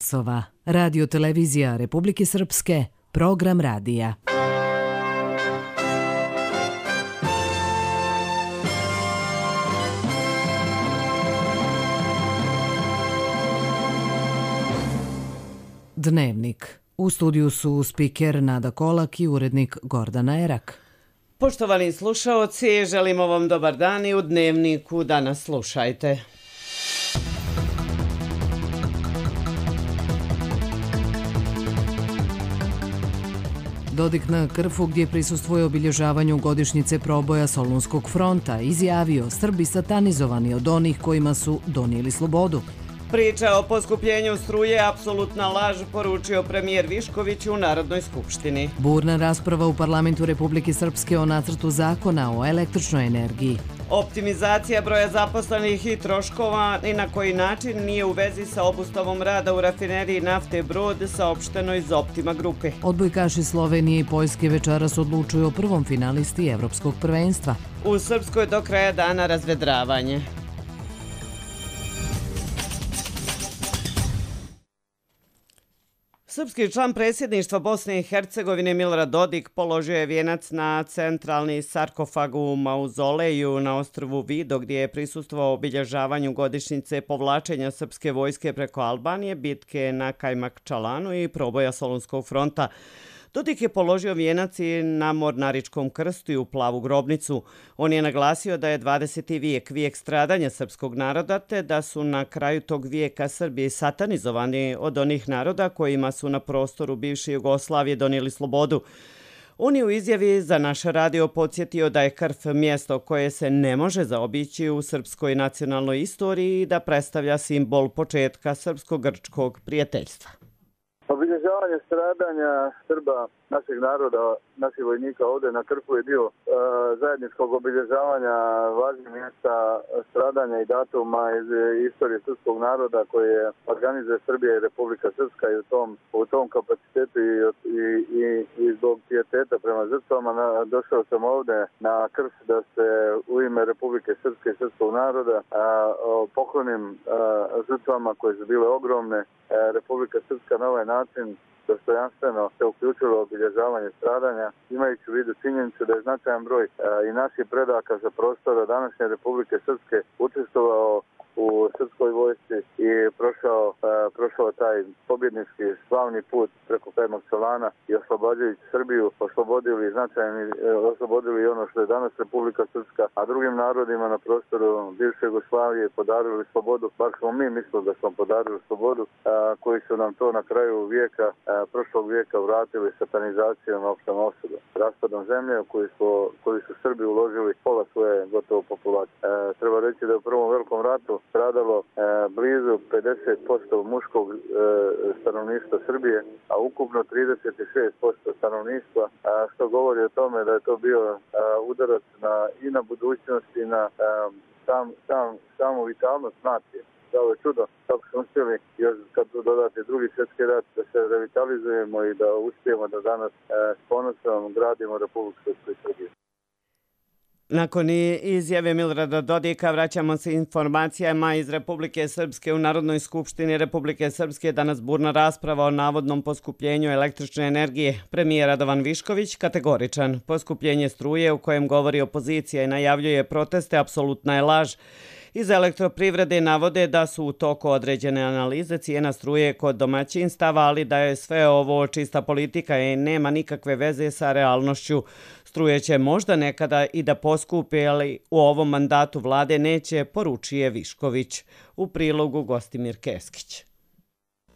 časova. Radio televizija Republike Srpske, program radija. Dnevnik. U studiju su spiker Nada Kolak i urednik Gordana Erak. Poštovani slušaoci, želimo vam dobar dan i u Dnevniku danas slušajte. Dodik na Krfu, gdje prisustvuje obilježavanju godišnjice proboja Solunskog fronta, izjavio: Srbi satanizovani od onih kojima su donijeli slobodu. Priča o poskupljenju struje apsolutna laž, poručio premijer Višković u Narodnoj skupštini. Burna rasprava u parlamentu Republike Srpske o nacrtu zakona o električnoj energiji. Optimizacija broja zaposlenih i troškova ni na koji način nije u vezi sa obustavom rada u rafineriji nafte Brod, saopšteno iz Optima grupe. Odbojkaši Slovenije i Poljske večeras odlučuju o prvom finalisti Evropskog prvenstva. U Srpskoj do kraja dana razvedravanje. Srpski član predsjedništva Bosne i Hercegovine Milorad Dodik položio je vijenac na centralni sarkofag u mauzoleju na ostrvu Vido, gdje je prisustvovao obilježavanju godišnjice povlačenja srpske vojske preko Albanije, bitke na Kajmakčalanu i proboja Solunskog fronta. Dodik je položio vijenac i na Mornaričkom krstu i u Plavu grobnicu. On je naglasio da je 20. vijek vijek stradanja srpskog naroda, te da su na kraju tog vijeka Srbi satanizovani od onih naroda kojima su na prostoru bivše Jugoslavije donijeli slobodu. On je u izjavi za naš radio podsjetio da je Krf mjesto koje se ne može zaobići u srpskoj nacionalnoj istoriji i da predstavlja simbol početka srpsko-grčkog prijateljstva. Obilježavanje stradanja Srba, našeg naroda, naših vojnika ovdje na Krfu je dio zajedničkog obilježavanja važnih mjesta stradanja i datuma iz istorije srpskog naroda koje organizuje Srbija i Republika Srpska i u tom kapacitetu i zbog pijeteta prema žrtvama došao sam ovdje na Krf da se u ime Republike Srpske i srpskog naroda poklonim žrtvama koje su bile ogromne. Republika Srpska na ovaj način dostojanstveno se uključilo u obilježavanje stradanja, imajući u vidu činjenicu da je značajan broj i naših predaka sa prostora današnje Republike Srpske učestvovao u srpskoj vojsci i prošao taj pobjednički slavni put preko Kajmakčalana i oslobađajući Srbiju, oslobodili ono što je danas Republika Srpska, a drugim narodima na prostoru bivše Jugoslavije podarili slobodu, bar smo mi mislili da smo podarili slobodu, koji su nam to na kraju prošlog vijeka vratili satanizacijom opštom osudom, raspadom zemlje u koju su Srbi uložili pola svoje gotovo populacije. Treba reći da je u prvom velikom ratu stradalo blizu 50% muškog stanovništva Srbije, a ukupno 36% stanovništva, što govori o tome da je to bio udarac i na budućnost i na samu vitalnost nacije. Ovo je čudo kako smo uspjeli, još kad dodate drugi svjetski rat, da se revitalizujemo i da uspijemo da danas s ponosom gradimo Republiku Srpsku i Srbiju. Nakon izjave Milorada Dodika vraćamo se informacijama iz Republike Srpske. U Narodnoj skupštini Republike Srpske danas burna rasprava o navodnom poskupljenju električne energije. Premijer Radovan Višković kategoričan. Poskupljenje struje u kojem govori opozicija i najavljuje proteste apsolutna je laž. Iz elektroprivrede navode da su u toku određene analize cijena struje kod domaćinstava, ali da je sve ovo čista politika i nema nikakve veze sa realnošću. Struje će možda nekada i da poskupi, ali u ovom mandatu vlade neće, poručuje Višković. U prilogu Gostimir Keskić.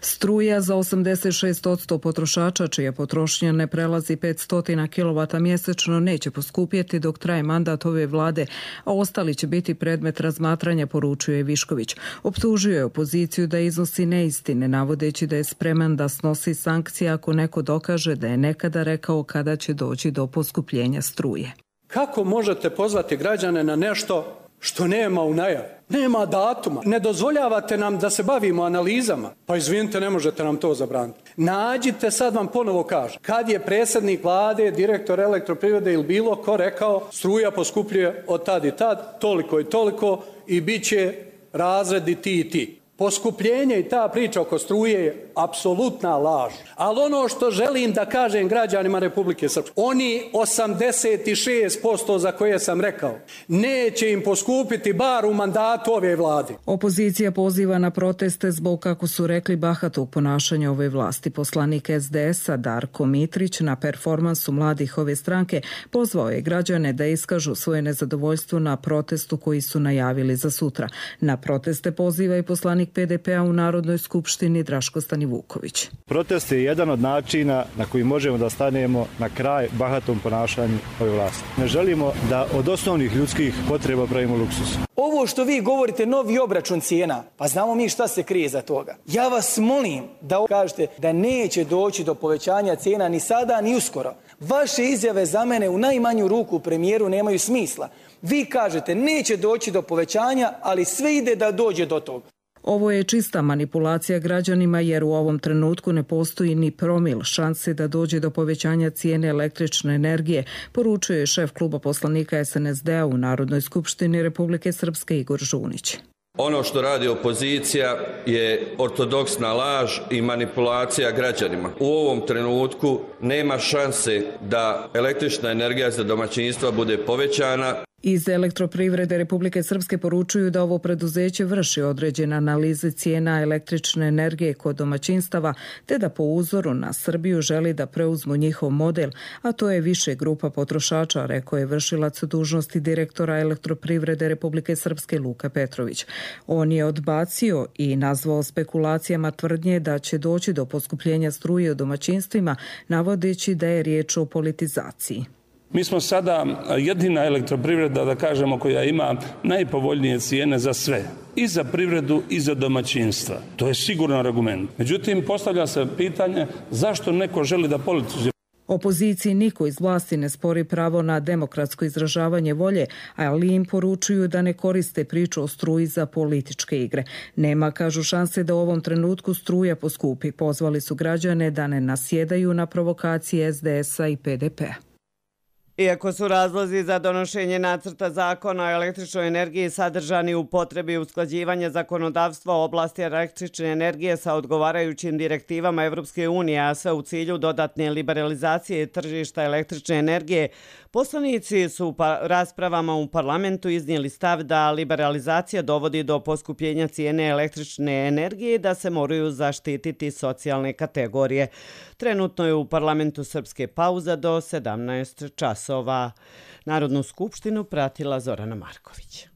Struja za 86% potrošača čija potrošnja ne prelazi 500 kW mjesečno neće poskupjeti dok traje mandat ove vlade, a ostali će biti predmet razmatranja, poručuje Višković. Optužio je opoziciju da iznosi neistine, navodeći da je spreman da snosi sankcije ako neko dokaže da je nekada rekao kada će doći do poskupljenja struje. Kako možete pozvati građane na nešto što nema u najavi? Nema datuma. Ne dozvoljavate nam da se bavimo analizama. Pa izvinite, ne možete nam to zabraniti. Nađite, sad vam ponovo kažem, kad je predsjednik vlade, direktor elektroprivrede ili bilo ko rekao struja poskupljuje od tad i tad, toliko i toliko i bit će razredi ti i ti. Poskupljenje i ta priča oko struje je apsolutna laž. Ali ono što želim da kažem građanima Republike Srpske, oni 86% za koje sam rekao, neće im poskupiti bar u mandatu ove vlade. Opozicija poziva na proteste zbog, kako su rekli, bahatog ponašanja ove vlasti. Poslanik SDS-a Darko Mitrić na performansu mladih ove stranke pozvao je građane da iskažu svoje nezadovoljstvo na protestu koji su najavili za sutra. Na proteste poziva i poslanik PDP-a u Narodnoj skupštini Draško Stanivuković. Protest je jedan od načina na koji možemo da stanemo na kraj bahatom ponašanju ove vlasti. Ne želimo da od osnovnih ljudskih potreba pravimo luksus. Ovo što vi govorite, novi obračun cijena, pa znamo mi šta se krije za toga. Ja vas molim da kažete da neće doći do povećanja cijena ni sada ni uskoro. Vaše izjave za mene u najmanju ruku premijeru nemaju smisla. Vi kažete neće doći do povećanja, ali sve ide da dođe do toga. Ovo je čista manipulacija građanima jer u ovom trenutku ne postoji ni promil šanse da dođe do povećanja cijene električne energije, poručuje šef kluba poslanika SNSD-a u Narodnoj skupštini Republike Srpske Igor Žunić. Ono što radi opozicija je ortodoksna laž i manipulacija građanima. U ovom trenutku nema šanse da električna energija za domaćinstva bude povećana. Iz Elektroprivrede Republike Srpske poručuju da ovo preduzeće vrši određene analize cijena električne energije kod domaćinstava, te da po uzoru na Srbiju želi da preuzmu njihov model, a to je više grupa potrošača, rekao je vršilac dužnosti direktora Elektroprivrede Republike Srpske Luka Petrović. On je odbacio i nazvao spekulacijama tvrdnje da će doći do poskupljenja struje u domaćinstvima, navodeći da je riječ o politizaciji. Mi smo sada jedina elektroprivreda, da kažemo, koja ima najpovoljnije cijene za sve. I za privredu i za domaćinstva. To je siguran argument. Međutim, postavlja se pitanje zašto neko želi da politizuje. Opoziciji niko iz vlasti ne spori pravo na demokratsko izražavanje volje, ali im poručuju da ne koriste priču o struji za političke igre. Nema, kažu, šanse da u ovom trenutku struja poskupi. Pozvali su građane da ne nasjedaju na provokacije SDS-a i PDP-a. Iako su razlozi za donošenje nacrta zakona o električnoj energiji sadržani u potrebi usklađivanja zakonodavstva u oblasti električne energije sa odgovarajućim direktivama Evropske unije, a sve u cilju dodatne liberalizacije tržišta električne energije, poslanici su u raspravama u parlamentu iznijeli stav da liberalizacija dovodi do poskupljenja cijene električne energije i da se moraju zaštititi socijalne kategorije. Trenutno je u parlamentu Srpske pauza do 17 časova. Narodnu skupštinu pratila Zorana Marković.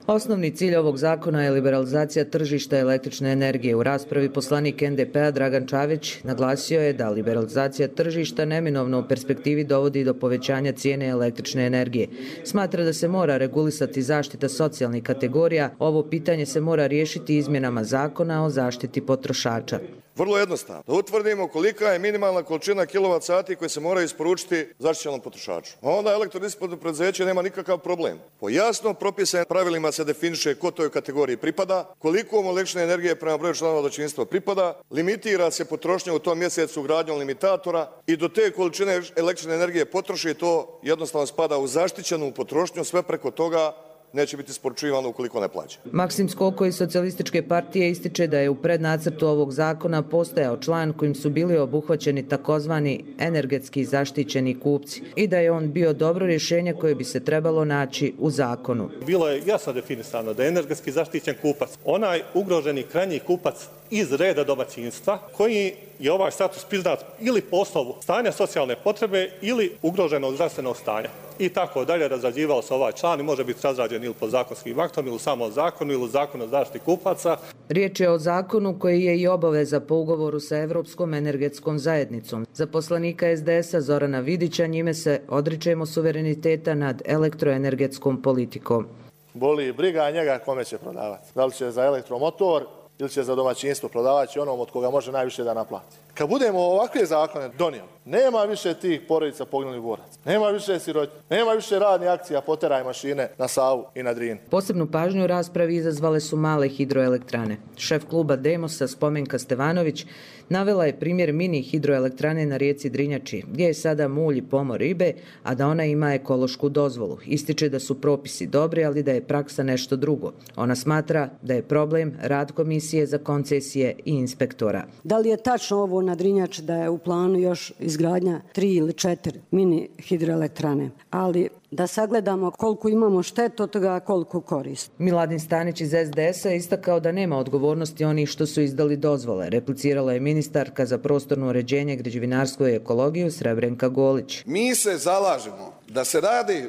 Osnovni cilj ovog zakona je liberalizacija tržišta električne energije. U raspravi poslanik NDP-a Dragan Čavić naglasio je da liberalizacija tržišta neminovno u perspektivi dovodi do povećanja cijene električne energije. Smatra da se mora regulisati zaštita socijalnih kategorija. Ovo pitanje se mora riješiti izmjenama zakona o zaštiti potrošača. Vrlo jednostavno. Da utvrdimo kolika je minimalna količina kilovat sati koje se moraju isporučiti zaštićenom potrošaču. A onda elektrodistributivno preduzeće nema nikakav problem. Po jasno propisanim pravilima se definiše ko toj kategoriji pripada, koliko mu električne energije prema broju članova domaćinstva pripada, limitira se potrošnja u tom mjesecu ugradnjom limitatora i do te količine električne energije potroši, to jednostavno spada u zaštićenu potrošnju, sve preko toga neće biti isporučivano ukoliko ne plaća. Maksim Skoko iz Socijalističke partije ističe da je u prednacrtu ovog zakona postojao član kojim su bili obuhvaćeni takozvani energetski zaštićeni kupci i da je on bio dobro rješenje koje bi se trebalo naći u zakonu. Bilo je jasno definisano da je energetski zaštićen kupac onaj ugroženi krajnji kupac iz reda domaćinstva koji je ovaj status priznat ili po osnovu stanja socijalne potrebe ili ugroženog zdravstvenog stanja. I tako dalje razrađivao se ovaj član i može biti razrađen ili pod zakonskim aktom ili u samom zakonu ili u zakonu o zaštiti kupaca. Riječ je o zakonu koji je i obaveza po ugovoru sa Evropskom energetskom zajednicom. Za poslanika SDS-a Zorana Vidića njime se odričemo suvereniteta nad elektroenergetskom politikom. Boli briga njega kome će prodavati. Da li će za elektromotor ili će za domaćinstvo prodavati onom od koga može najviše da naplati. Kad budemo ovakve zakone donijeli, nema više tih porodica poginulih boraca, nema više sirotinje, nema više radnih akcija poteraj mašine na Savu i na Drini. Posebnu pažnju u raspravi izazvale su male hidroelektrane. Šef kluba Demosa Spomenka Stevanović navela je primjer mini hidroelektrane na rijeci Drinjači, gdje je sada mulj i pomor ribe, a da ona ima ekološku dozvolu. Ističe da su propisi dobri, ali da je praksa nešto drugo. Ona smatra da je problem rad komisije Komisije za koncesije i inspektora. Da li je tačno ovo na Drinjači da je u planu još izgradnja 3 ili 4 mini hidroelektrane, ali da sagledamo koliko imamo štetu od toga, koliko korist. Miladin Stanić iz SDS-a je istakao da nema odgovornosti onih što su izdali dozvole. Replicirala je ministarka za prostorno uređenje, građevinarstvo i ekologiju Srebrenka Golić. Mi se zalažemo da se radi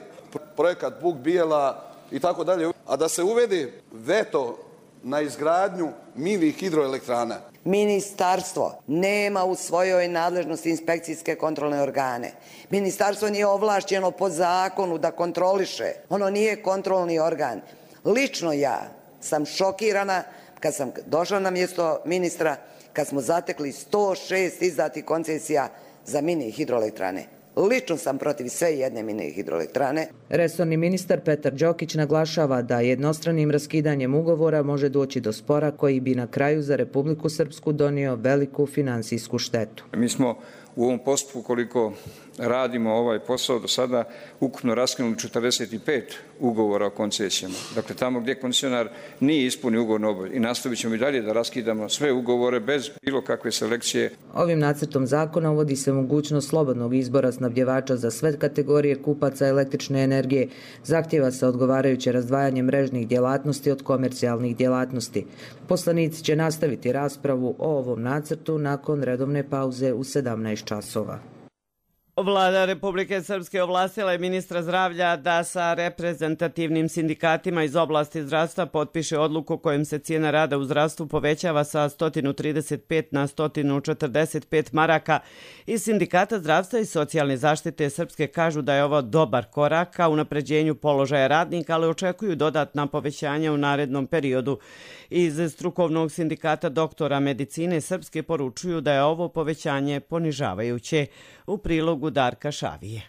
projekat Buk Bijela i tako dalje, a da se uvede veto na izgradnju mini hidroelektrana. Ministarstvo nema u svojoj nadležnosti inspekcijske kontrolne organe. Ministarstvo nije ovlašćeno po zakonu da kontroliše. Ono nije kontrolni organ. Lično ja sam šokirana kad sam došla na mjesto ministra, kad smo zatekli 106 izdatih koncesija za mini hidroelektrane. Lično sam protiv sve jedne mini hidroelektrane. Resorni ministar Petar Đokić naglašava da jednostranim raskidanjem ugovora može doći do spora koji bi na kraju za Republiku Srpsku donio veliku finansijsku štetu. Mi smo u ovom postupku, koliko radimo ovaj posao do sada, ukupno raskinuli 45 ugovora o koncesijama. Dakle, tamo gdje koncesionar nije ispunio ugovornu obavezu i nastavit ćemo i dalje da raskidamo sve ugovore bez bilo kakve selekcije. Ovim nacrtom zakona uvodi se mogućnost slobodnog izbora snabdjevača za sve kategorije kupaca električne energije. Zahtjeva se odgovarajuće razdvajanje mrežnih djelatnosti od komercijalnih djelatnosti. Poslanici će nastaviti raspravu o ovom nacrtu nakon redovne pauze u 17 časova. Vlada Republike Srpske ovlastila je ministra zdravlja da sa reprezentativnim sindikatima iz oblasti zdravstva potpiše odluku kojom se cijena rada u zdravstvu povećava sa 135 na 145 maraka. Iz Sindikata zdravstva i socijalne zaštite Srpske kažu da je ovo dobar korak ka unapređenju položaja radnika, ali očekuju dodatna povećanja u narednom periodu. Iz strukovnog sindikata doktora medicine Srpske poručuju da je ovo povećanje ponižavajuće. U prilogu Darka Šavije.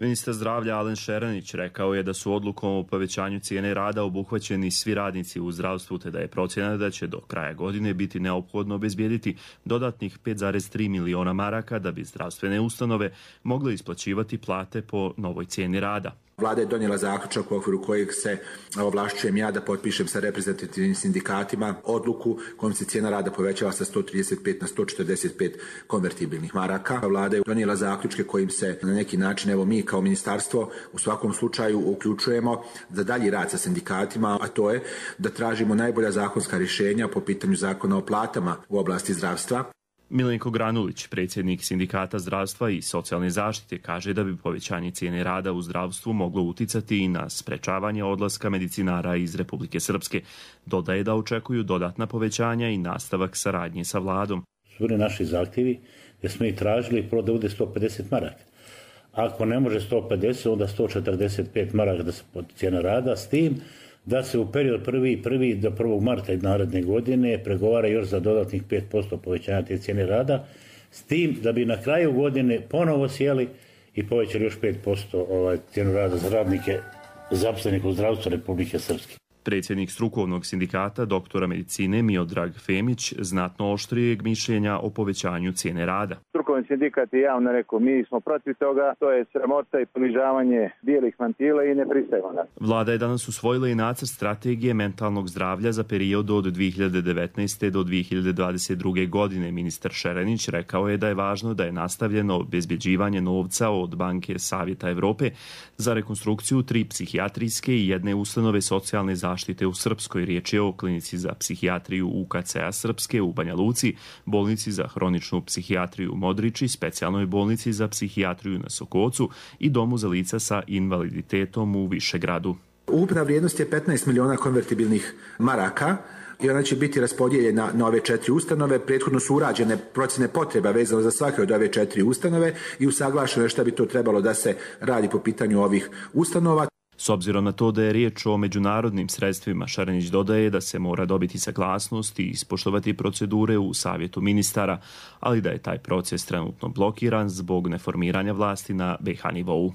Ministar zdravlja Alen Šeranić rekao je da su odlukom o povećanju cijene rada obuhvaćeni svi radnici u zdravstvu, te da je procjena da će do kraja godine biti neophodno obezbijediti dodatnih 5,3 miliona maraka da bi zdravstvene ustanove mogle isplaćivati plate po novoj cijeni rada. Vlada je donijela zaključak u okviru kojeg se ovlašćujem ja da potpišem sa reprezentativnim sindikatima odluku kojom se cijena rada povećava sa 135 na 145 konvertibilnih maraka. Vlada je donijela zaključke kojim se na neki način, evo mi kao ministarstvo u svakom slučaju uključujemo za dalji rad sa sindikatima, a to je da tražimo najbolja zakonska rješenja po pitanju zakona o platama u oblasti zdravstva. Milenko Granulić, predsjednik Sindikata zdravstva i socijalne zaštite, kaže da bi povećanje cijene rada u zdravstvu moglo uticati i na sprečavanje odlaska medicinara iz Republike Srpske. Dodaje da očekuju dodatna povećanja i nastavak saradnje sa vladom. Su naši zahtjevi jer smo i tražili prvo da bude 150 maraka. Ako ne može 150, onda 145 maraka da se cijena rada, s tim da se u period 1. do 1. marta naredne godine pregovara još za dodatnih 5% povećanja te cijene rada, s tim da bi na kraju godine ponovo sjeli i povećali još 5% cijenu rada za radnike zaposlenih u zdravstvu Republike Srpske. Predsjednik strukovnog sindikata doktora medicine Miodrag Femić znatno oštrijeg mišljenja o povećanju cijene rada. Strukovni sindikat je javno rekao, mi smo protiv toga, to je sramota i ponižavanje bijelih mantila i ne pristajemo na. Vlada je danas usvojila i nacrt strategije mentalnog zdravlja za period od 2019. do 2022. godine. Ministar Šeranić rekao je da je važno da je nastavljeno obezbjeđivanje novca od Banke Savjeta Evrope za rekonstrukciju 3 psihijatrijske i 1 ustanove socijalne zaštite u Srpskoj. Riječ je o klinici za psihijatriju UKC-a Srpske u Banja Luci, bolnici za hroničnu psihijatriju u Modriči, specijalnoj bolnici za psihijatriju na Sokocu i domu za lica sa invaliditetom u Višegradu. Ukupna vrijednost je 15 miliona konvertibilnih maraka i ona će biti raspodijeljena na ove 4 ustanove. Prethodno su urađene procjene potreba vezano za svake od ove 4 ustanove i usaglašeno je šta bi to trebalo da se radi po pitanju ovih ustanova. S obzirom na to da je riječ o međunarodnim sredstvima, Šaranić dodaje da se mora dobiti saglasnost i ispoštovati procedure u savjetu ministara, ali da je taj proces trenutno blokiran zbog neformiranja vlasti na BiH nivou.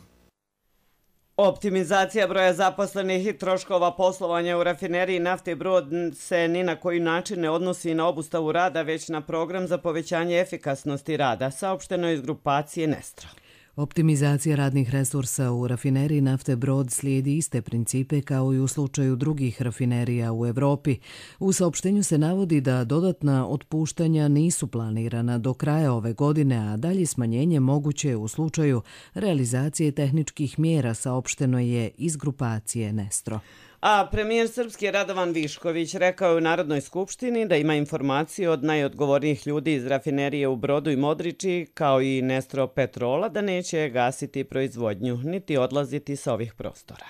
Optimizacija broja zaposlenih i troškova poslovanja u rafineriji nafte Brod se ni na koji način ne odnosi na obustavu rada, već na program za povećanje efikasnosti rada, saopšteno iz grupacije Nestra. Optimizacija radnih resursa u rafineriji nafte Brod slijedi iste principe kao i u slučaju drugih rafinerija u Evropi. U saopštenju se navodi da dodatna otpuštanja nisu planirana do kraja ove godine, a dalje smanjenje moguće u slučaju realizacije tehničkih mjera, saopšteno je iz grupacije Nestro. A premijer Srpske Radovan Višković rekao je u Narodnoj skupštini da ima informaciju od najodgovornijih ljudi iz rafinerije u Brodu i Modriči, kao i Nestro Petrola, da neće gasiti proizvodnju, niti odlaziti sa ovih prostora.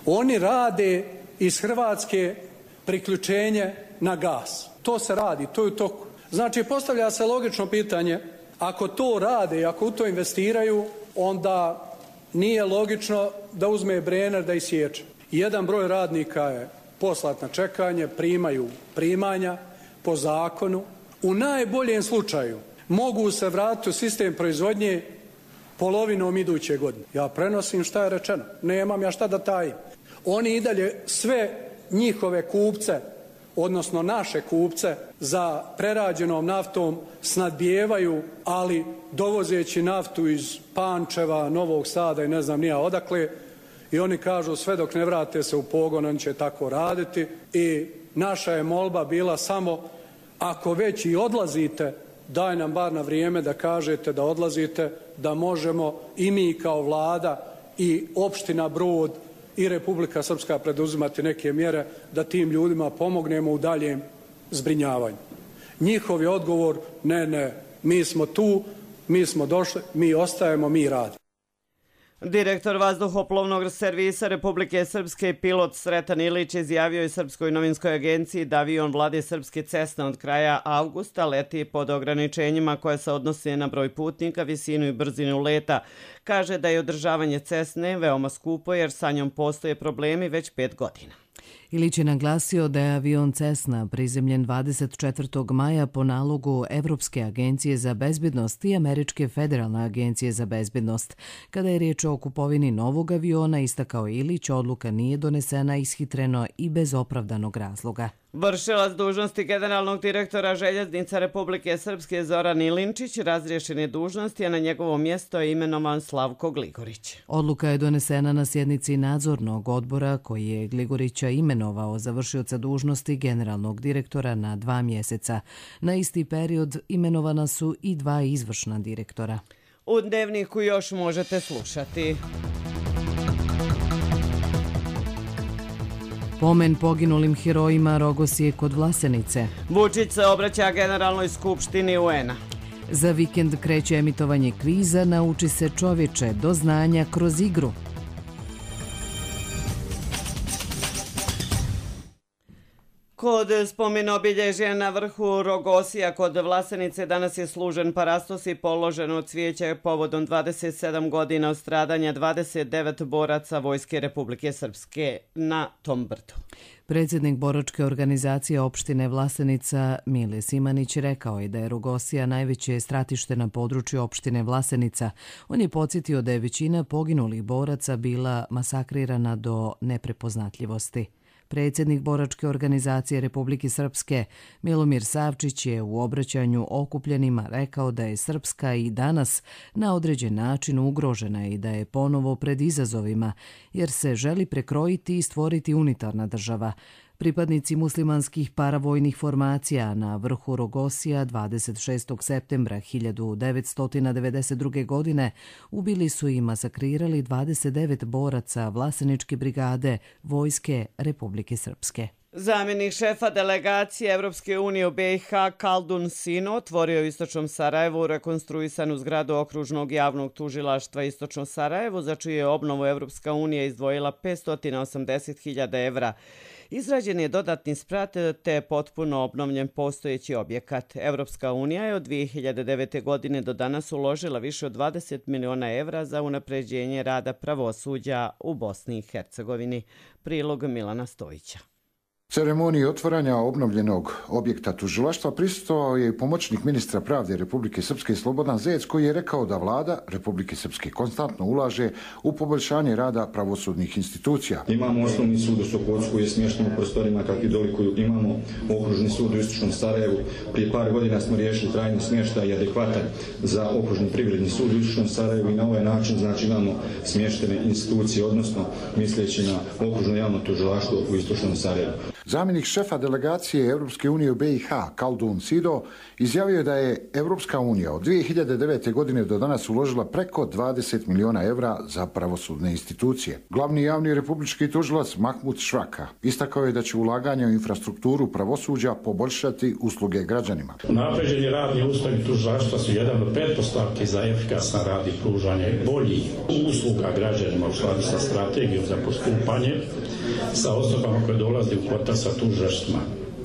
Oni rade iz Hrvatske priključenje na gas. To se radi, to je u toku. Znači, postavlja se logično pitanje, ako to rade i ako u to investiraju, onda nije logično da uzme Brenner da isječe. Jedan broj radnika je poslat na čekanje, primaju primanja po zakonu. U najboljem slučaju mogu se vratiti u sistem proizvodnje polovinom iduće godine. Ja prenosim šta je rečeno, nemam ja šta da tajim. Oni i dalje sve njihove kupce, odnosno naše kupce za prerađenom naftom snadbijevaju, ali dovozeći naftu iz Pančeva, Novog Sada i ne znam nija odakle, i oni kažu sve dok ne vrate se u pogon, oni će tako raditi. I naša je molba bila samo, ako već i odlazite, daj nam bar na vrijeme da kažete da odlazite, da možemo i mi kao vlada i opština Brod i Republika Srpska preduzimati neke mjere da tim ljudima pomognemo u daljem zbrinjavanju. Njihov je odgovor, ne, mi smo tu, mi smo došli, mi ostajemo, mi radimo. Direktor vazduhoplovnog servisa Republike Srpske, pilot Sretan Ilić, izjavio je Srpskoj novinskoj agenciji da avion Vlade Srpske Cessna od kraja avgusta leti pod ograničenjima koje se odnose na broj putnika, visinu i brzinu leta. Kaže da je održavanje Cessne veoma skupo jer sa njom postoje problemi već 5 godina. Ilić je naglasio da je avion Cessna prizemljen 24. maja po nalogu Evropske agencije za bezbednost i Američke federalne agencije za bezbednost. Kada je riječ o kupovini novog aviona, istakao Ilić, odluka nije donesena ishitreno i bez opravdanog razloga. Vršilac dužnosti generalnog direktora Željeznica Republike Srpske Zoran Ilinčić razriješen je dužnosti, a na njegovo mjesto je imenovan Slavko Gligorić. Odluka je donesena na sjednici nadzornog odbora koji je Gligorića imenovao za vršioca dužnosti generalnog direktora na 2 mjeseca. Na isti period imenovana su i 2 izvršna direktora. U Dnevniku još možete slušati. Pomen poginulim herojima Rogosije kod Vlasenice. Vučić se obraća Generalnoj skupštini UN-a. Za vikend kreće emitovanje kviza Nauči se čovječe, do znanja kroz igru. Kod spomenobilježja na vrhu Rogosija kod Vlasenice danas je služen parastos i položeno cvijeće povodom 27 godina od stradanja 29 boraca Vojske Republike Srpske na tom brdu. Predsjednik boračke organizacije opštine Vlasenica Mile Simanić rekao je da je Rogosija najveće stratište na području opštine Vlasenica. On je podsjetio da je većina poginulih boraca bila masakrirana do neprepoznatljivosti. Predsjednik boračke organizacije Republike Srpske Milomir Savčić je u obraćanju okupljenima rekao da je Srpska i danas na određen način ugrožena i da je ponovo pred izazovima jer se želi prekrojiti i stvoriti unitarna država. Pripadnici muslimanskih paravojnih formacija na vrhu Rogosija 26. septembra 1992. godine ubili su i masakrirali 29 boraca Vlaseničke brigade Vojske Republike Srpske. Zamjenik šefa delegacije Evropske unije u BiH Kaldun Sino otvorio u Istočnom Sarajevu rekonstruisanu zgradu okružnog javnog tužilaštva Istočno Sarajevo, za čiju je obnovu Evropska unija izdvojila 580.000 evra. Izrađen je dodatni sprat te potpuno obnovljen postojeći objekat. Evropska unija je od 2009. godine do danas uložila više od 20 miliona evra za unapređenje rada pravosuđa u Bosni i Hercegovini. Prilog Milana Stojića. Ceremoniji otvaranja obnovljenog objekta tužilaštva prisustvovao je i pomoćnik ministra pravde Republike Srpske Slobodan Zec, koji je rekao da vlada Republike Srpske konstantno ulaže u poboljšanje rada pravosudnih institucija. Imamo osnovni sud u Sokocu koji je smješten u prostorima kakvi dolikuju. Imamo okružni sud u Istočnom Sarajevu. Prije par godina smo riješili trajni smještaj i adekvatan za okružni privredni sud u Istočnom Sarajevu i na ovaj način znači imamo smještene institucije, odnosno misleći na okružno javno tužilaštvo u Istočnom Sarajevu. Zamjenik šefa delegacije Europske unije u BiH, Kaldun Sido, izjavio je da je Europska unija od 2009. godine do danas uložila preko 20 miliona evra za pravosudne institucije. Glavni javni republički tužilac Mahmud Šraka istakao je da će ulaganje u infrastrukturu pravosuđa poboljšati usluge građanima. Napređeni radni uslovi tužilaštva su jedan od pretpostavki za efikasan rad i pružanje boljih usluga građanima u skladu sa strategijom za postupanje sa osobama koje dolaze u kontakt sa tužilaštvima.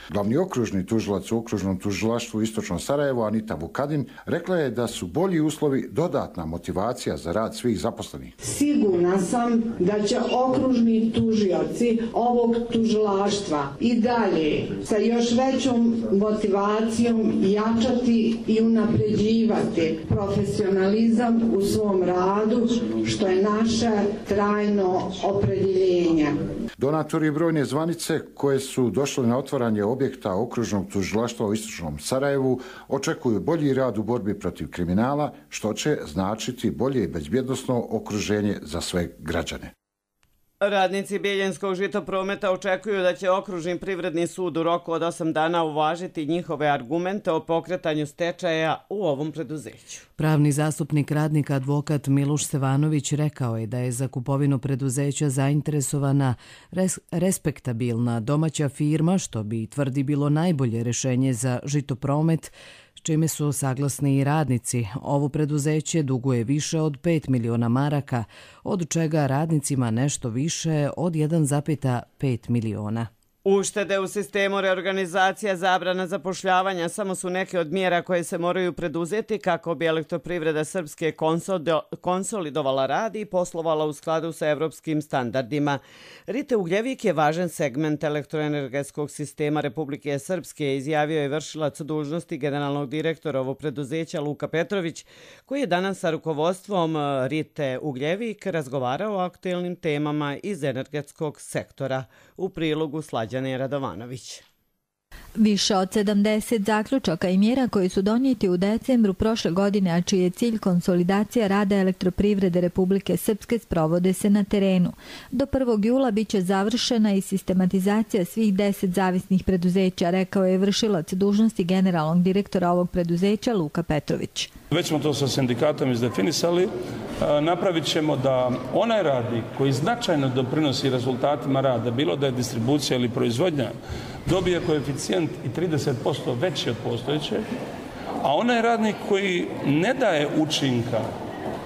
Glavni okružni tužilac u okružnom tužilaštvu Istočno Sarajevo, Anita Vukadin, rekla je da su bolji uslovi dodatna motivacija za rad svih zaposlenih. Sigurna sam da će okružni tužioci ovog tužilaštva i dalje sa još većom motivacijom jačati i unapređivati profesionalizam u svom radu, što je naše trajno opredjeljenje. Donatori brojne zvanice koje su došli na otvaranje objekta okružnog tužilaštva u Istočnom Sarajevu očekuju bolji rad u borbi protiv kriminala, što će značiti bolje i bezbjednosno okruženje za sve građane. Radnici Biljenskog žitoprometa očekuju da će okružni privredni sud u roku od 8 dana uvažiti njihove argumente o pokretanju stečaja u ovom preduzeću. Pravni zastupnik radnika advokat Miluš Stevanović rekao je da je za kupovinu preduzeća zainteresovana respektabilna domaća firma, što bi, tvrdi, bilo najbolje rješenje za žitopromet, s čime su saglasni i radnici. Ovo preduzeće duguje više od 5 miliona maraka, od čega radnicima nešto više od 1,5 miliona. Uštede u sistemu reorganizacija, zabrana zapošljavanja samo su neke od mjera koje se moraju preduzeti kako bi Elektroprivreda Srpske konsolidovala rad i poslovala u skladu sa evropskim standardima. Rite Ugljevik je važan segment elektroenergetskog sistema Republike Srpske, izjavio je vršilac dužnosti generalnog direktora ovog preduzeća Luka Petrović, koji je danas sa rukovodstvom Rite Ugljevik razgovarao o aktuelnim temama iz energetskog sektora. U prilogu Slađane Radovanović. Više od 70 zaključaka i mjera koji su donijeti u decembru prošle godine, a čiji je cilj konsolidacija rada Elektroprivrede Republike Srpske, sprovode se na terenu. Do 1. jula biće završena i sistematizacija svih 10 zavisnih preduzeća, rekao je vršilac dužnosti generalnog direktora ovog preduzeća Luka Petrović. Već smo to sa sindikatom izdefinisali. Napravit ćemo da onaj radnik koji značajno doprinosi rezultatima rada, bilo da je distribucija ili proizvodnja, dobije koeficijent i 30% veći od postojećeg, a onaj radnik koji ne daje učinka,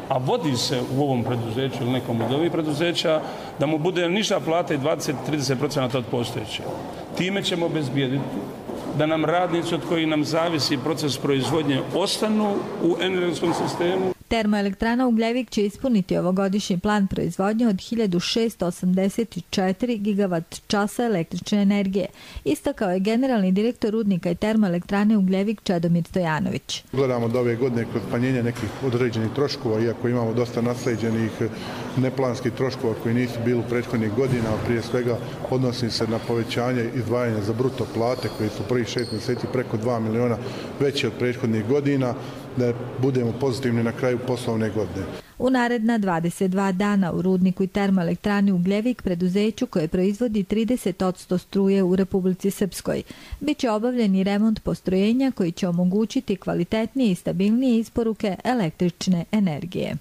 a vodi se u ovom preduzeću ili nekom od ovih preduzeća, da mu bude niža plata i 20-30% od postojećeg. Time ćemo obezbijediti da nam radnici od kojih nam zavisi proces proizvodnje ostanu u energetskom sistemu. Termoelektrana Ugljevik će ispuniti ovogodišnji plan proizvodnje od 1684 gigavat časa električne energije, istakao je generalni direktor rudnika i termoelektrane Ugljevik Čedomir Stojanović. Gledamo da ove godine kroz smanjenje nekih određenih troškova, iako imamo dosta nasleđenih neplanskih troškova koji nisu bili u prethodnih godina, a prije svega odnosi se na povećanje izdvajanja za bruto plate koji su prvih 6 mjeseci preko 2 miliona veći od prethodnih godina, da budemo pozitivni na kraju poslovne godine. U naredna 22 dana u rudniku i termoelektrani Ugljevik, preduzeću koje proizvodi 30% struje u Republici Srpskoj, biće obavljen i remont postrojenja koji će omogućiti kvalitetnije i stabilnije isporuke električne energije.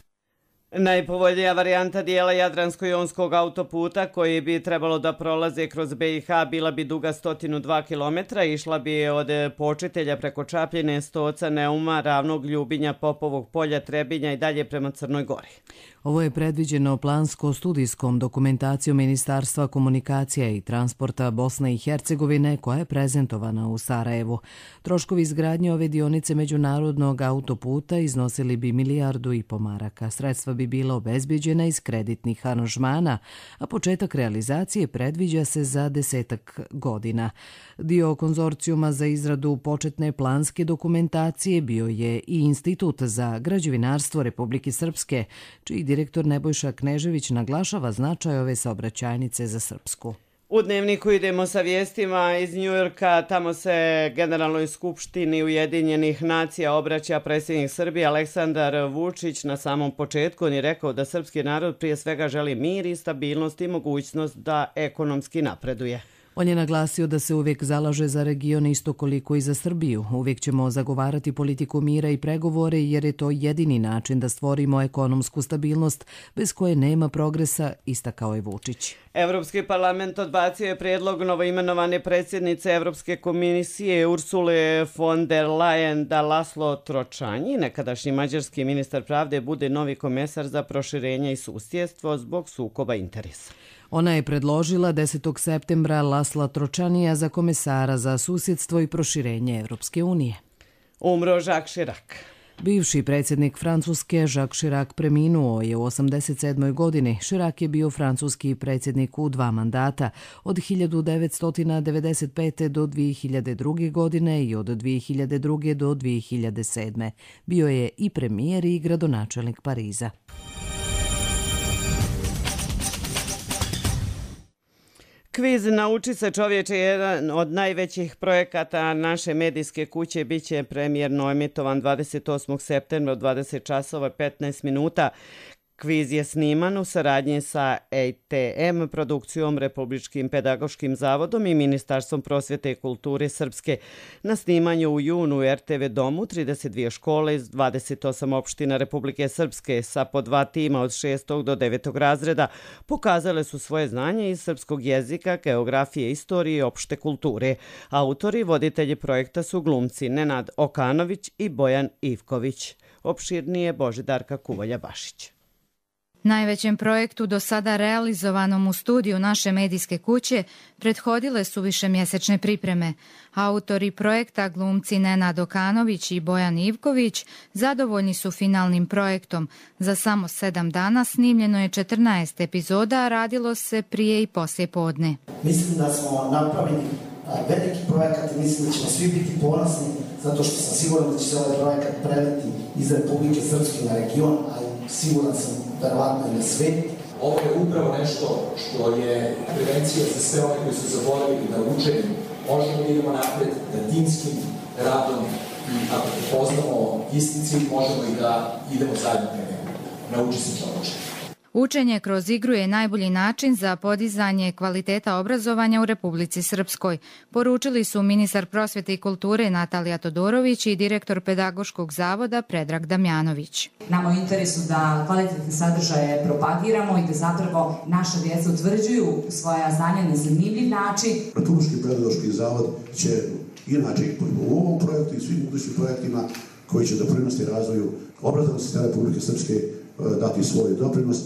Najpovoljnija varijanta dijela Jadransko-jonskog autoputa koji bi trebalo da prolaze kroz BiH bila bi duga 102 km, išla bi od Počitelja preko Čapljine, Stoca, Neuma, Ravnog, Ljubinja, Popovog polja, Trebinja i dalje prema Crnoj Gori. Ovo je predviđeno plansko-studijskom dokumentacijom Ministarstva komunikacija i transporta Bosne i Hercegovine koja je prezentovana u Sarajevu. Troškovi izgradnje ove dionice međunarodnog autoputa iznosili bi 1,5 milijardu maraka. Sredstva bi bila obezbeđena iz kreditnih aranžmana, a početak realizacije predviđa se za 10 godina. Dio konzorcijuma za izradu početne planske dokumentacije bio je i Institut za građevinarstvo Republike Srpske, čiji direktor Nebojša Knežević naglašava značaj ove saobraćajnice za Srpsku. U Dnevniku idemo sa vijestima iz Njujorka. Tamo se Generalnoj skupštini Ujedinjenih nacija obraća predsjednik Srbije Aleksandar Vučić. Na samom početku on je rekao da srpski narod prije svega želi mir i stabilnost i mogućnost da ekonomski napreduje. On je naglasio da se uvijek zalaže za region isto koliko i za Srbiju. Uvijek ćemo zagovarati politiku mira i pregovore jer je to jedini način da stvorimo ekonomsku stabilnost bez koje nema progresa, istakao je Vučić. Evropski parlament odbacio je prijedlog novoimenovane predsjednice Evropske komisije Ursule von der Leyen da Laslo Tročanji, nekadašnji mađarski ministar pravde, bude novi komesar za proširenje i susjedstvo zbog sukoba interesa. Ona je predložila 10. septembra Lasla Tročanija za komesara za susjedstvo i proširenje Evropske unije. Umro Jacques Chirac. Bivši predsjednik Francuske Jacques Chirac preminuo je u 87. godini. Chirac je bio francuski predsjednik u 2 mandata, od 1995. do 2002. godine i od 2002. do 2007. Bio je i premijer i gradonačelnik Pariza. Kviz Nauči se čovječe je jedan od najvećih projekata naše medijske kuće. Biće premijerno emitovan 28. septembra od 20 časova 15 minuta. Kviz je sniman u saradnji sa ETM, produkcijom Republičkim pedagoškim zavodom i Ministarstvom prosvjete i kulture Srpske. Na snimanju u junu u RTV domu 32 škole iz 28 opština Republike Srpske sa po 2 tima od 6. do 9. razreda pokazale su svoje znanje iz srpskog jezika, geografije, istorije i opšte kulture. Autori i voditelji projekta su glumci Nenad Okanović i Bojan Ivković. Opširnije Božidarka Kuvolja-Bašić. Najvećem projektu do sada realizovanom u studiju naše medijske kuće prethodile su višemjesečne pripreme. Autori projekta, glumci Nenad Okanović i Bojan Ivković, zadovoljni su finalnim projektom. Za samo 7 dana snimljeno je 14 epizoda, a radilo se prije i poslije podne. Mislim da smo napravili veliki projekat i mislim da ćemo svi biti ponosni zato što sam siguran da će se ovaj projekat preliti iz Republike Srpske na region, ali siguran sam verovatno i na svet. Ovo je upravo nešto što je prevencija za sve one koji su zaboravili da učenjem možemo da idemo napred, da timskim radom i ako prepoznamo isti cilj možemo i da idemo zajedno ka njemu. Nauči se čoveče. Učenje kroz igru je najbolji način za podizanje kvaliteta obrazovanja u Republici Srpskoj, poručili su ministar prosvjete i kulture Natalija Todorović i direktor pedagoškog zavoda Predrag Damjanović. Nama u interesu da kvalitetne sadržaje propagiramo i da zapravo naša djeca utvrđuju svoja znanja na zanimljiv način. Republički pedagoški zavod će inače u ovom projektu i svim budućim projektima koji će doprinosti razvoju obrazovnog sistema Republike Srpske dati svoj doprinos.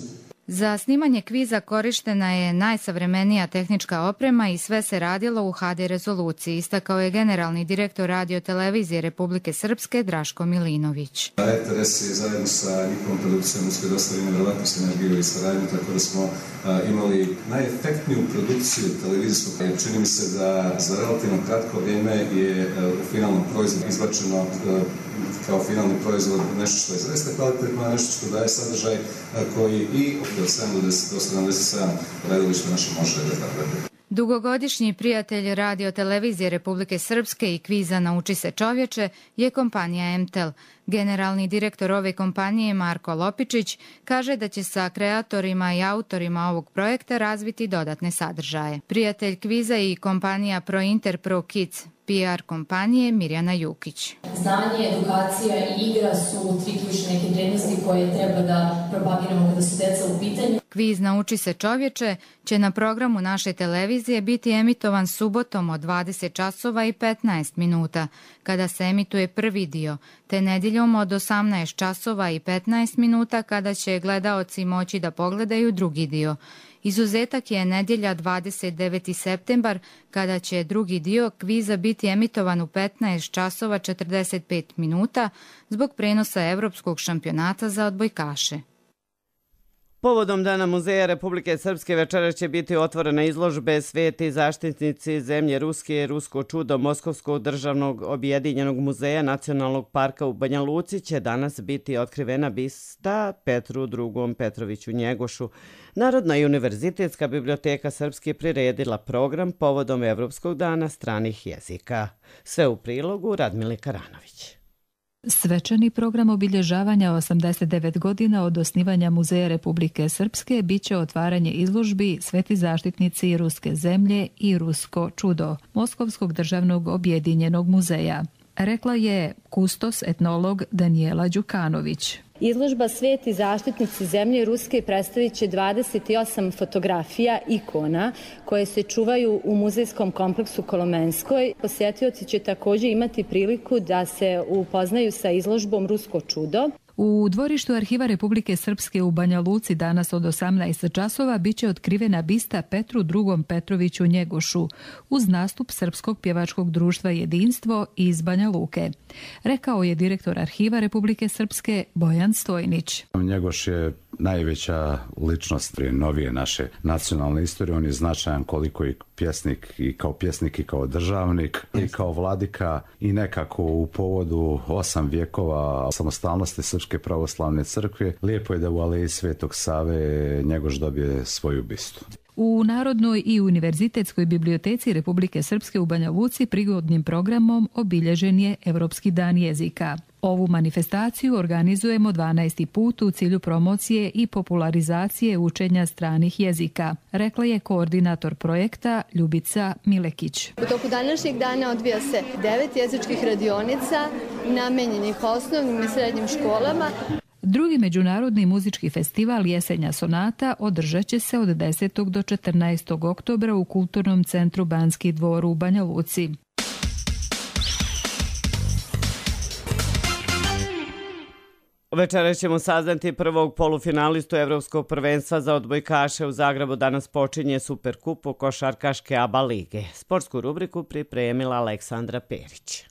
Za snimanje kviza korištena je najsavremenija tehnička oprema i sve se radilo u HD rezoluciji, istakao je generalni direktor Radio-televizije Republike Srpske Draško Milinović. RTS je zajedno sa njihovom produkcijom uspio dostaviti nevjerovatnu sinergiju i saradnju, tako da smo imali najefektniju produkciju televizijskog. Čini mi se da za relativno kratko vrijeme je u finalnom proizvodu izbačeno kao finalni proizvod nešto što je zaista kvalitetno, nešto što daje sadržaj koji i od 7 do 77 gledališta naše može da tako. Dugogodišnji prijatelj Radio-televizije Republike Srpske i kviza Nauči se čovječe je kompanija MTEL. Generalni direktor ove kompanije Marko Lopičić kaže da će sa kreatorima i autorima ovog projekta razviti dodatne sadržaje. Prijatelj kviza i kompanija ProInter Pro Kids PR kompanije Mirjana Jukić. Znanje, edukacija i igra su tri ključne neke vrijednosti koje treba da propagiramo kada su deca u pitanju. Kviz Nauči se čovječe će na programu naše televizije biti emitovan subotom od 20 časova i 15 minuta, kada se emituje prvi dio, te nedjeljom od 18 časova i 15 minuta kada će gledaoci moći da pogledaju drugi dio. Izuzetak je nedjelja 29. septembar, kada će drugi dio kviza biti emitovan u 15 časova 45 minuta zbog prenosa Evropskog šampionata za odbojkaše. Povodom Dana muzeja Republike Srpske večeras će biti otvorena izložbe Sveti zaštitnici zemlje Ruske i Rusko čudo Moskovskog državnog objedinjenog muzeja Nacionalnog parka u Banja Luci će danas biti otkrivena bista Petru II. Petroviću Njegošu. Narodna i univerzitetska biblioteka Srpske priredila program povodom Evropskog dana stranih jezika. Sve u prilogu Radmile Karanović. Svečani program obilježavanja 89 godina od osnivanja Muzeja Republike Srpske biće otvaranje izložbi Sveti zaštitnici Ruske zemlje i Rusko čudo Moskovskog državnog objedinjenog muzeja, rekla je kustos etnolog Danijela Đukanović. Izložba Sveti zaštitnici zemlje Ruske predstavit će 28 fotografija, ikona, koje se čuvaju u muzejskom kompleksu Kolomenskoj. Posjetioci će također imati priliku da se upoznaju sa izložbom Rusko čudo. U dvorištu Arhiva Republike Srpske u Banja Luci danas od 18 časova biće otkrivena bista Petru II. Petroviću Njegošu uz nastup Srpskog pjevačkog društva Jedinstvo iz Banja Luke, rekao je direktor Arhiva Republike Srpske Bojan Stojnić. Njegoš je najveća ličnost novije naše nacionalne istorije. On je značajan koliko i pjesnik i kao državnik i kao vladika i nekako u povodu 8 vjekova samostalnosti Srpske pravoslavne crkve lijepo je da u Aleji Svetog Save Njegoš dobije svoju bistu. U Narodnoj i univerzitetskoj biblioteci Republike Srpske u Banja Luci prigodnim programom obilježen je Evropski dan jezika. Ovu manifestaciju organizujemo 12. put u cilju promocije i popularizacije učenja stranih jezika, rekla je koordinator projekta Ljubica Milekić. U toku današnjeg dana odvija se 9 jezičkih radionica namenjenih osnovnim i srednjim školama. Drugi međunarodni muzički festival Jesenja sonata održat će se od 10. do 14. oktobra u Kulturnom centru Banski dvor u Banja Luci. Večeras ćemo saznati prvog polufinalistu Evropskog prvenstva za odbojkaše. U Zagrebu danas počinje Superkup košarkaške ABA lige. Sportsku rubriku pripremila Aleksandra Perić.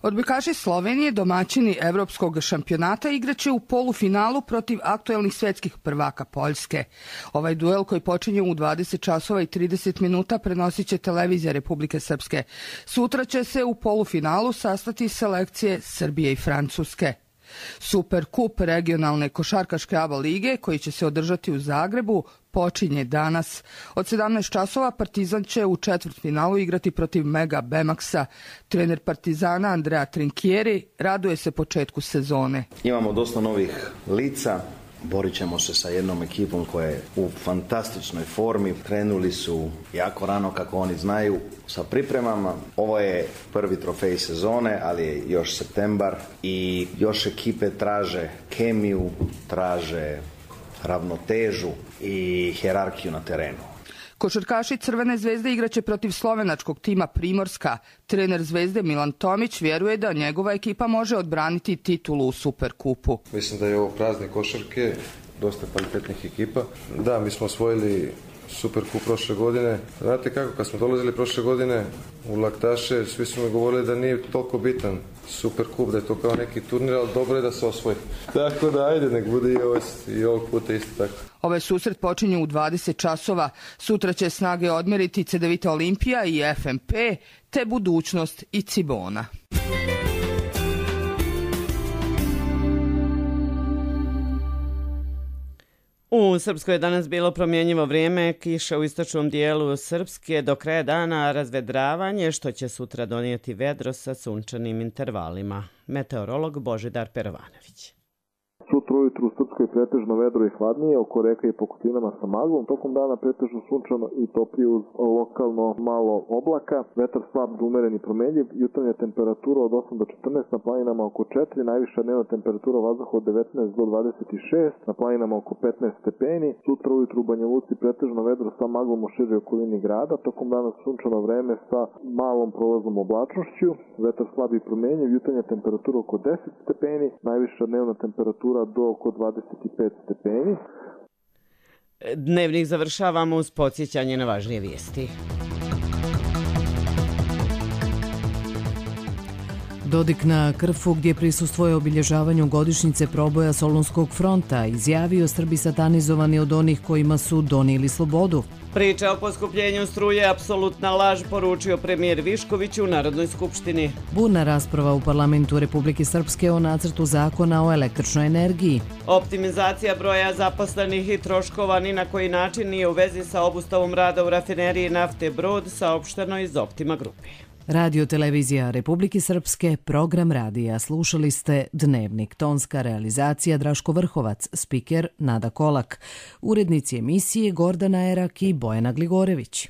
Odbojkaši Slovenije, domaćini Evropskog šampionata, igraće u polufinalu protiv aktuelnih svjetskih prvaka Poljske. Ovaj duel koji počinje u 20 časova i 30 minuta prenosit će televizija Republike Srpske. Sutra će se u polufinalu sastati selekcije Srbije i Francuske. Superkup regionalne košarkaške ABA lige, koji će se održati u Zagrebu, počinje danas. Od 17 časova Partizan će u četvrtfinalu igrati protiv Mega Bemaxa. Trener Partizana Andrea Trinchieri raduje se početku sezone. Imamo dosta novih lica. Borit ćemo se sa jednom ekipom koja je u fantastičnoj formi. Krenuli su jako rano, kako oni znaju, sa pripremama. Ovo je prvi trofej sezone, ali je još septembar i još ekipe traže kemiju, traže ravnotežu i hijerarhiju na terenu. Košarkaši Crvene zvezde igraće protiv slovenačkog tima Primorska. Trener Zvezde Milan Tomić vjeruje da njegova ekipa može odbraniti titulu u Superkupu. Mislim da je ovo praznik košarke, dosta kvalitetnih ekipa. Da, mi smo osvojili Superkup prošle godine. Znate kako, kad smo dolazili prošle godine u Laktaše, svi su mi govorili da nije toliko bitan Superkup, da je to kao neki turnir, ali dobro je da se osvoji. Tako da, ajde, nek bude i ovog puta isto tako. Ovaj susret počinje u 20 časova. Sutra će snage odmeriti Cedevita Olimpija i FMP, te Budućnost i Cibona. U Srpskoj je danas bilo promjenjivo vrijeme, kiša u istočnom dijelu Srpske, do kraja dana razvedravanje, što će sutra donijeti vedro sa sunčanim intervalima. Meteorolog Božidar Perovanović. Sutra Sutra ujutru u Srpskoj pretežno vedro i hladnije, oko reka i pokupinama sa maglom. Tokom dana pretežno sunčano i toplije uz lokalno malo oblaka. Vetar slab do umeren i promenljiv. Jutarnja temperatura od 8 do 14, na planinama oko 4, najviša dnevna temperatura vazduha od 19 do 26, na planinama oko 15 stepeni. Sutra ujutru u Banja Luci pretežno vedro sa maglom u široj okolini grada. Tokom dana sunčano vreme sa malom prolaznom oblačnošću. Vetar slab i promenljiv. Jutarnja temperatura oko 10 stepeni, najviša dnevna temperatura do oko 25 stepeni. Dnevnik završavamo uz podsjećanje na važnije vijesti. Dodik na Krfu, gdje prisustvuje obilježavanju godišnjice proboja Solunskog fronta, izjavio Srbi satanizovani od onih kojima su donijeli slobodu. Priča o poskupljenju struje apsolutna laž, poručio premijer Višković u Narodnoj skupštini. Burna rasprava u parlamentu Republike Srpske o nacrtu zakona o električnoj energiji. Optimizacija broja zaposlenih i troškova ni na koji način nije u vezi sa obustavom rada u rafineriji nafte Brod, saopšteno iz Optima grupe. Radio televizija Republike Srpske, program radija. Slušali ste Dnevnik. Tonska realizacija Draško Vrhovac, spiker Nada Kolak. Urednici emisije Gordana Erak i Bojana Gligorević.